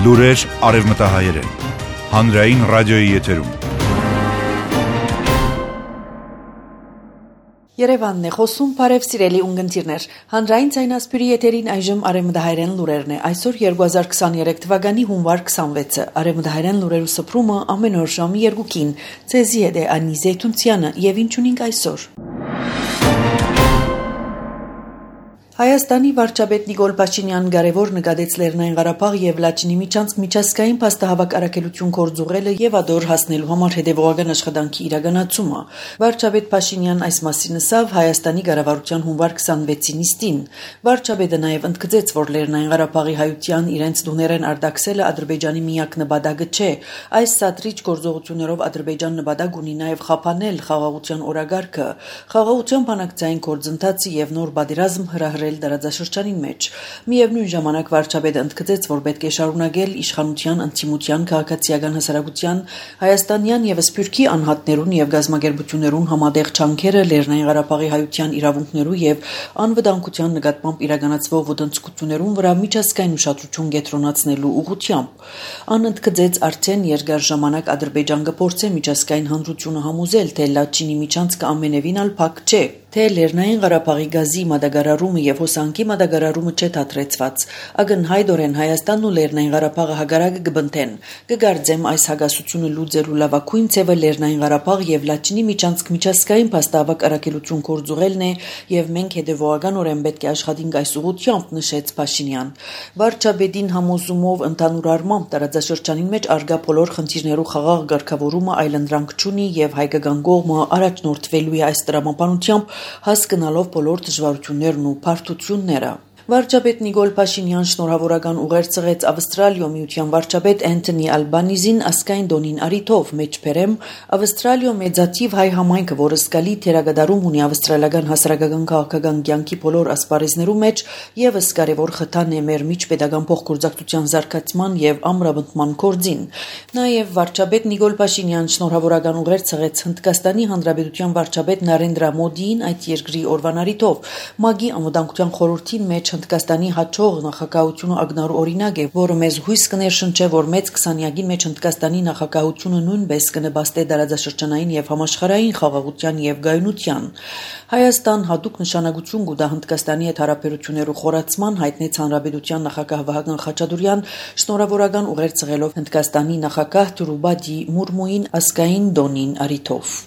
Լուրեր արևմտահայերեն, հանրային ռադիոյի եթերում։ Երևանն է խոսում, բարև սիրելի ունգընտիրներ, հանրային ձայնասպյուրի եթերին այժմ արևմտահայերեն լուրերն է, այսօր 2023 թվականի հունվար 26-ը, արևմտահայերեն լուրերու սփռումը ամեն օր ժամի 2-ին, ձեզի հետ է Անի Զեյթունցյանը եւ ինչ ունենք այսօր։ Հայաստանի վարչապետ Նիկոլ Փաշինյանն կարևոր նկատեց Լեռնային Ղարաբաղ եւ Լաչինի միջանցք միջազգային փաստահավաք առաքելություն կորձուղելը եւ ադոր հասնելու համար հետեւողական աշխատանքի իրականացումը։ Վարչապետ Փաշինյանն այս մասին ասավ Հայաստանի կառավարության հունվար 26-ի նիստին։ Վարչապետը նաեւ ընդգծեց, որ Լեռնային Ղարաբաղի հայության իրենց դուներեն արտաքսելը Ադրբեջանի միակ նպատակը չէ։ Այս սադրիչ գործողություններով Ադրբեջան նպատակ ունի նաեւ խափանել խաղաղության օրագարկը, խաղաղության բանակցային գործընթացը եւ նոր պատերազմ հրահրել դարաձաշրջանին մեջ։ Միևնույն ժամանակ վարչապետը ընդգծեց, որ պետք է շարունակել իշխանության, ընդդիմության, քաղաքացիական հասարակության, հայաստանյան եւ սփյուռքի անհատներուն եւ գազམ་ագերբություններուն համատեղ չանքերը Լեռնային Ղարաբաղի հայության իրավունքներու եւ անվտանգության նկատմամբ իրականացվող ոտնձգություններուն վրա միջազգային ուշադրություն կենտրոնացնելու ուղղությամբ։ Ան ընդգծեց, արդեն երկար ժամանակ Ադրբեջան կփորձե միջազգային հանրությունը համոզել, թե Լաչինի միջանցքը ամենևին ալ փակ չէ, թե Լեռնային Ղարաբաղի գազի մատակարարումը եւ հոսանքի մատակարարումը չէ թատրեցված։ Ակնհայտորեն Հայաստանն ու Լեռնային Ղարաբաղը հագարակը կբնթեն։ Կգարձեմ այս հագասությունը լուծելու լավագույն ձևը Լեռնային Ղարաբաղ եւ Լաչինի միջանցք միջազգային փաստահավաք առաքելություն կորձուղելն է եւ մենք հետեւողականորեն պետք է աշխատենք այս ուղղությամբ, նշեց Փաշինյան։ Վարչապետին համոզումով ընդհանուր առմամբ տարածաշրջանին մեջ արգա բոլոր խնդիրներու խաղաղ ղեկավարումը այլընտրանք չունի եւ հայկական կողմը առաջնորդվելու է այս տրամաբանությամբ հասկանալով բոլոր դժվարություններն ու բարդությունները։ Վարչապետ Նիկոլ Փաշինյան շնորհավորական ուղեր ծղեց Ավստրալիո միության վարչապետ Անթոնի Ալբանիզին ասկային դոնին արիթով մեջբերեմ Ավստրալիո մեծաթիվ հայ համայնքը, որը սկալի թերագադարում ունի ավստրալիական հասարակական քաղաքական կյանքի բոլոր ասպարեզներու մեջ, եւս կարևոր խթան է մեր միջպետական փոխգործակցության զարգացման եւ ամրապնդման գործին։ Նաեւ վարչապետ Նիկոլ Փաշինյան շնորհավորական ուղեր ծղեց Հնդկաստանի Հանրապետության վարչապետ Նարենդրա Մոդիին այդ երկրի օրվան արիթով։ ՄԱԳ-ի անվտանգության խորհրդին մեջ Հնդկաստանի հաջող նախագահությունը ակնառու օրինակ է, որը մեզ հույս կներշնչի, որ մեծ 20-յակին մեջ Հնդկաստանի նախագահությունը նույնպես կնպաստի դարաձաշրջանային եւ համաշխարհային խաղաղության եւ գայունության։ Հայաստան հատուկ նշանակություն կուտա Հնդկաստանի հետ հարաբերություններու խորացման, հայտնեց Հանրապետության նախագահ Վահագն Խաչատուրյան շնորհավորական ուղեր ծղելով Հնդկաստանի նախագահ Դրուպադի Մուրմուին ասկային դոնին արիթով։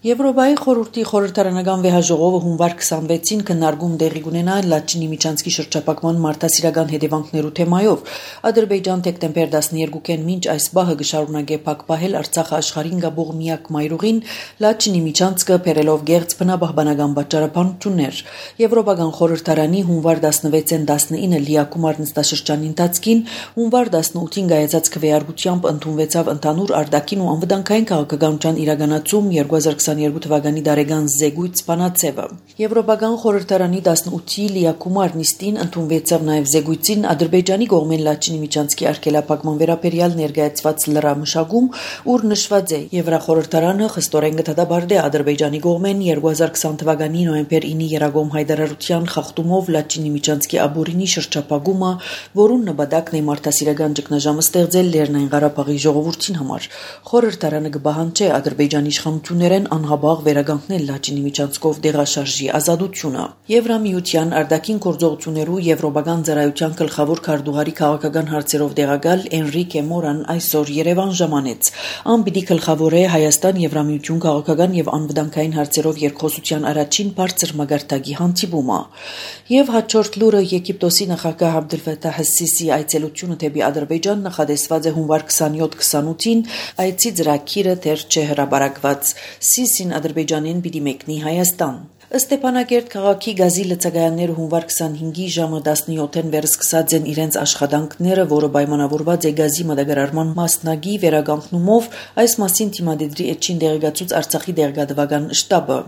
Եվրոպայի խորհրդի խորհրդարանական վեհաժողովը հունվար 26-ին քննարկում տեղի կունենա Լաչինի միջանցքի շրջափակման մարդասիրական հետևանքներու թեմայով։ Ադրբեջան դեկտեմբեր 12-ին մինչ այս բահը կշարունակե փակպահել Արցախը աշխարհին գաբող միակ մայրուղին Լաչինի միջանցքը բերելով գերց բնապահպանական պատճառաբանություններ։ Եվրոպական խորհրդարանի հունվար 16-ին 19 լիակումար նստաշրջանի ընթացքին հունվար 18-ին գայացած քվեարկությամբ ընդունվեցավ ընդհանուր արտաքին ու անվտանգային քաղաքականության իրականացում 2022 թվականի դարեգան զեկույց բանացևը։ Եվրոպական խորհրդարանի 18-ի լիակումար նիստին ընդունվեցավ նաև զեկույցին Ադրբեջանի կողմեն Լաչինի միջանցքի արգելափակման վերաբերյալ ներկայացված լրամշակում, ուր նշված է Եվրախորհրդարանը խստորեն կդատապարտի Ադրբեջանի կողմեն 2020 թվականի նոյեմբեր 9-ի Երագոմ հայտարարության խախտումով Լաչինի միջանցքի աբորինի շրջափակումը, որուն նպատակն է մարդասիրական ճգնաժամը ստեղծել Լեռնային Ղարաբաղի ժողովրդին համար։ Խորհրդարանը կբահանջի Ադրբեջանի իշխանություններեն անհաբաղ վերականգնել Լաչինի միջանցքով դեղաշարժի ազատությունը։ Եվրամիության արտաքին գործողություններու եվրոպական ծառայության գլխավոր քարտուղարի քաղաքական հարցերով դեղակալ Էնրիկե Մորան այսօր Երևան ժամանեց։ Ան պիտի գլխավորե Հայաստան Եվրամիություն քաղաքական եւ անվտանգային հարցերով երկխոսության առաջին բարձր մագարտակի հանդիպումը։ Եվ հաջորդ լուրը Եգիպտոսի նախագահ Աբդելֆաթահ Սիսի այցելությունը դեպի Ադրբեջան նախադեсված է հունվար 27-28-ին, այցի ծրագիրը դեռ չէ հրապարակված։ Սիսին Ադրբեջանին պիտի մեկնի Հայաստան։ Ստեփանակերտ քաղաքի գազի լցակայանները հունվար 25-ի ժամը 17-ին վերսկսած են իրենց աշխատանքները, որը պայմանավորված է գազի մատակարարման մասնագի վերականգնումով, այս մասին թիմադեդրի էջին դեղեկացուց Արցախի դեղեկատվական շտաբը։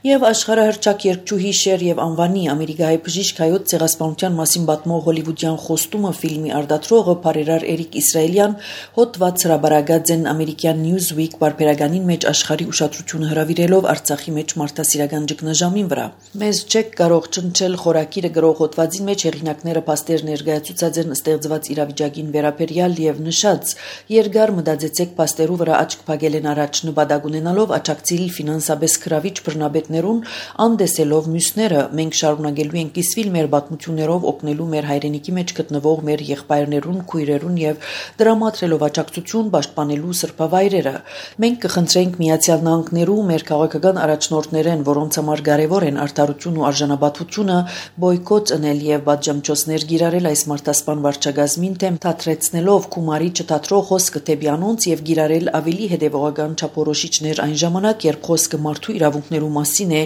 Եվ աշխարհահռչակ երգչուհի Շեր եւ անվանի ամերիկայի բժիշկ հայոց ցեղասպանության մասին պատմող հոլիվուդյան խոստումը ֆիլմի արտադրողը Փարերար Էրիկ Իսրայելյան հոդված հրապարակած են ամերիկյան Newsweek բարբերականին մեջ աշխարհի ուշադրությունը հրավիրելով Արցախի մեջ մարդասիրական ճգնաժամին վրա։ Մեզ չեք կարող ճնչել խորակիրը գրող հոդվածին մեջ հեղինակները փաստեր ներկայացուցած են ստեղծված իրավիճակին վերաբերյալ եւ նշած երկար մտածեցեք փաստերու վրա աչք փակել են առաջ նպատակ ունենալով աճակցիլ ֆինանսաբես քրավիչ բռնաբետներուն անդեսելով մյուսները մենք շարունակելու ենք կիսվել մեր պատմություններով օգնելու մեր հայրենիքի մեջ գտնվող մեր եղբայրներուն, քույրերուն եւ դրամատրելով աջակցություն պաշտպանելու սրբավայրերը։ Մենք կխնդրենք Միացյալ Նահանգներու մեր քաղաքական առաջնորդներեն, որոնց համար կարևոր են արդարություն ու արժանապատվությունը, բոյկոտ անել եւ պատժամիջոցներ գիրարել այս մարտահրավեր վարչագազմին թեմ թատրեցնելով Քումարի չթատրող խոսքը դեպի անոնց եւ գիրարել ավելի հետեւողական չափորոշիչներ այն ժամանակ, երբ խոսքը մարդու իրավունքներու մասին է,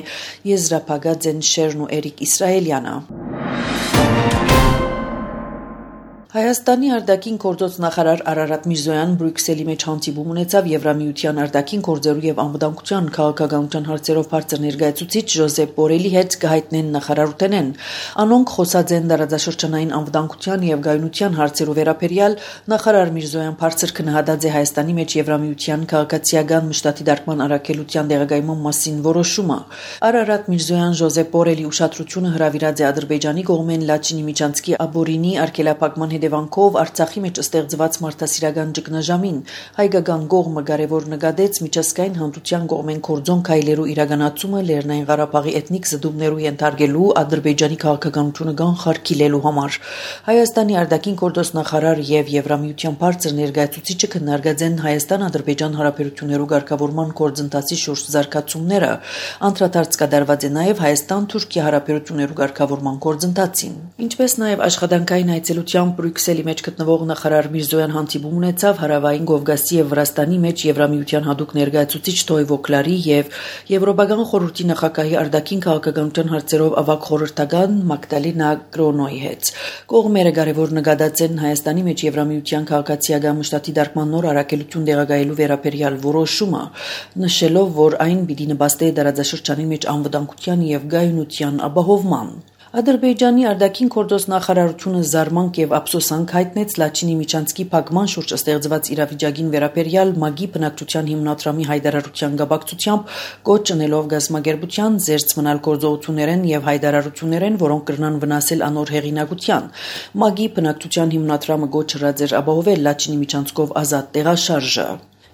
եզրափակած են Շերն ու Էրիկ Իսրայելյանը։ Հայաստանի արտաքին գործոց նախարար Արարատ Միրզոյան Բրյուսելի մեջ հանդիպում ունեցավ Եվրամիության արտաքին գործերու եւ անվտանգության քաղաքականության հարցերով բարձր ներկայացուցիչ Ժոզեփ Բորելի հետ կհայտնեն նախարարութենեն։ Անոնք խոսած են դարաձաշրջանային անվտանգության եւ գայունության հարցերով վերաբերյալ նախարար Միրզոյան բարձր քննադատած է Հայաստանի մեջ Եվրամիության քաղաքացիական մշտատի դարման առաքելության դեղագայման մասին որոշումը։ Արարատ Միրզոյան Ժոզեփ Բորելի ուշադրությունը հրավիրած է Ադրբեջանի կողմեն Լաչինի Միչանցկի Աբորինի արգելափակման Դեվանքով Արցախի մեջ ստեղծված մարդասիրական ճգնաժամին հայկական կողմը կարևոր նկատեց միջազգային հանրության կողմեն կորձոն քայլերու իրականացումը Լեռնային Ղարաբաղի էթնիկ զդումներու ենթարկելու Ադրբեջանի քաղաքականությունը կանխարգելելու համար։ Հայաստանի արտաքին գործոց նախարար եւ Եվրամիության բարձր ներկայացուցիչը քննարկած են Հայաստան-Ադրբեջան հարաբերություններու ղեկավարման գործընթացի շուրջ զարգացումները։ Անդրադարձ կատարված է նաեւ Հայաստան-Թուրքիա հարաբերություններու ղեկավարման գործընթացին։ Ինչպես նաեւ աշխատանքային այցելությամբ Բրյուսելի մեջ գտնվող նախարար Միրզոյան հանդիպում ունեցավ Հարավային Կովկասի եւ Վրաստանի մեջ Եվրամիության հատուկ ներկայացուցիչ Տոյվո Կլարի եւ Եվրոպական խորհրդի նախագահի արտաքին քաղաքականության հարցերով ավագ խորհրդական Մագդալենա Գրոնոյի հետ։ Կողմերը կարևոր նկատած են Հայաստանի մեջ Եվրամիության քաղաքացիական մշտատի դարման նոր առաքելություն դեղագայելու վերաբերյալ որոշումը, նշելով, որ այն պիտի նպաստի դարաձաշրջանի մեջ անվտանգության եւ գայունության ապահովման։ Ադրբեջանի արտաքին գործոց նախարարությունը զարմանք եւ ափսոսանք հայտնեց Լաչինի Միչանցկի փակման շուրջ ստեղծված իրավիճակին վերաբերյալ ՄԱԳ-ի բնակչության հիմնադրամի հայտարարության գաբակցությամբ կոչ անելով գազམ་ագերբության զերծ մնալ գործողություններեն եւ հայտարարություններեն, որոնք կրնան վնասել անոր հեղինակության։ ՄԱԳ-ի բնակչության հիմնադրամը կոչ հրած էր ապահովել Լաչինի Միչանցկով ազատ տեղաշարժը։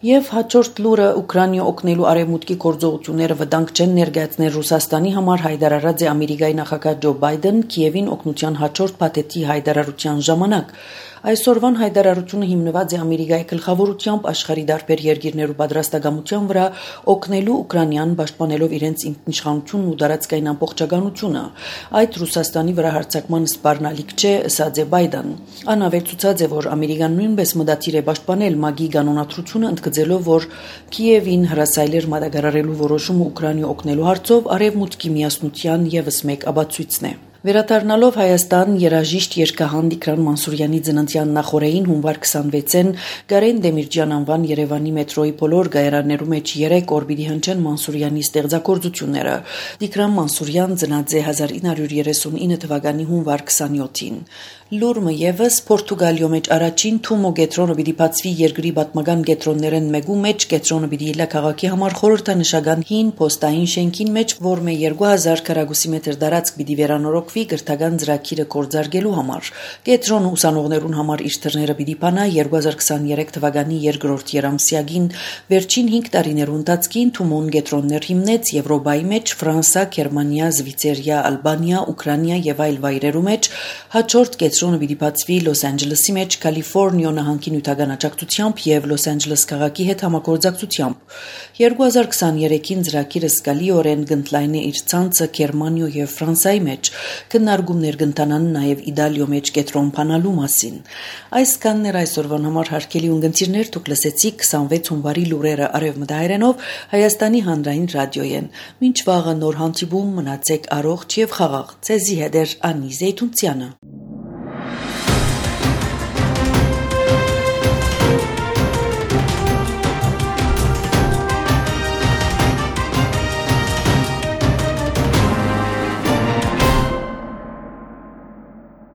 Եվ հաջորդ լուրը Ուկրաինա օգնելու արևմուտքի գործողությունները վտանգ չեն ներկայացնել Ռուսաստանի համար հայտարարած է Ամերիկայի նախագահ Ջո Բայդեն Կիևին օգնության հաջորդ փաթեթի հայտարարության ժամանակ։ Այսօրվան հայտարարությունը հիմնված է Ամերիկայի գլխավորությամբ աշխարհի դարբեր երկիրներու պատրաստակամության վրա օգնելու Ուկրաինան պաշտպանելով իրենց ինքնիշխանությունն ու տարածքային ամբողջականությունը։ Այդ Ռուսաստանի վրա հարձակման սպառնալիք չէ, ասաց է Բայդեն։ Անավելցուցած է, որ Ամերիկան նույնպես մտադիր է պաշտպանել ՄԱԳ-ի կանոնադրությունը, ընդգծելով, որ Կիևին հրասայլեր մատակարարելու որոշումը Ուկրաինա օգնելու հարցով արևմուտքի միասնության եւս մեկ ապացույցն է։ Վերադառնալով Հայաստան, երաժիշտ երգահան Տիգրան Մանսուրյանի ծննդյան նախօրեին հունվար 26-ին Գարեն Դեմիրճյան անվան Երևանի մետրոյի բոլոր գայարաններու մեջ 3 օր պիտի հնչեն Մանսուրյանի ստեղծագործությունները։ Տիգրան Մանսուրյան ծնած է 1939 թվականի հունվար 27-ին։ Լուրմը եւս Պորտուգալիո մեջ առաջին Թումո գետրոնը պիտի բացվի երկրի պատմական գետրոններեն մեկու մեջ գետրոնը պիտի լա քաղաքի համար խորհրդանշական հին պոստային շենքին մեջ, որ մե 2000 քառակուսի մետր տարածք պիտի վերանորոգվի գրթական ծրագիրը կորձարգելու համար։ Գետրոնը ուսանողներուն համար իր թռները պիտի բանա 2023 թվականի երկրորդ երամսյակին վերջին 5 տարիներու ընթացքին Թումոն գետրոններ հիմնեց Եվրոպայի մեջ Ֆրանսա, Գերմանիա, Զվիցերիա, Ալբանիա, Ուկրաինա եւ այլ վայրերու մեջ հաջորդ Գետրոնը պիտի բացվի Լոս Անջելեսի մեջ Կալիֆոռնիա նահանգի նյութական աջակցությամբ եւ Լոս Անջելես քաղաքի հետ համագործակցությամբ։ 2023-ին ծրագիրը սկալիորեն կընդլայնի իր ցանցը Գերմանիա եւ Ֆրանսայի մեջ, քննարկումներ կընթանան նաեւ Իտալիո մեջ գետրոն բանալու մասին։ Այս կաններ այսօրվան համար հարգելի ունգընտիրներ, դուք լսեցիք 26 հունվարի լուրերը արևմտահայերենով Հայաստանի հանրային ռադիոյեն։ Մինչ վաղը նոր հանդիպում, մնացեք առողջ եւ խաղաղ։ Ձեզի հետ է Անի Զեյթունցյանը։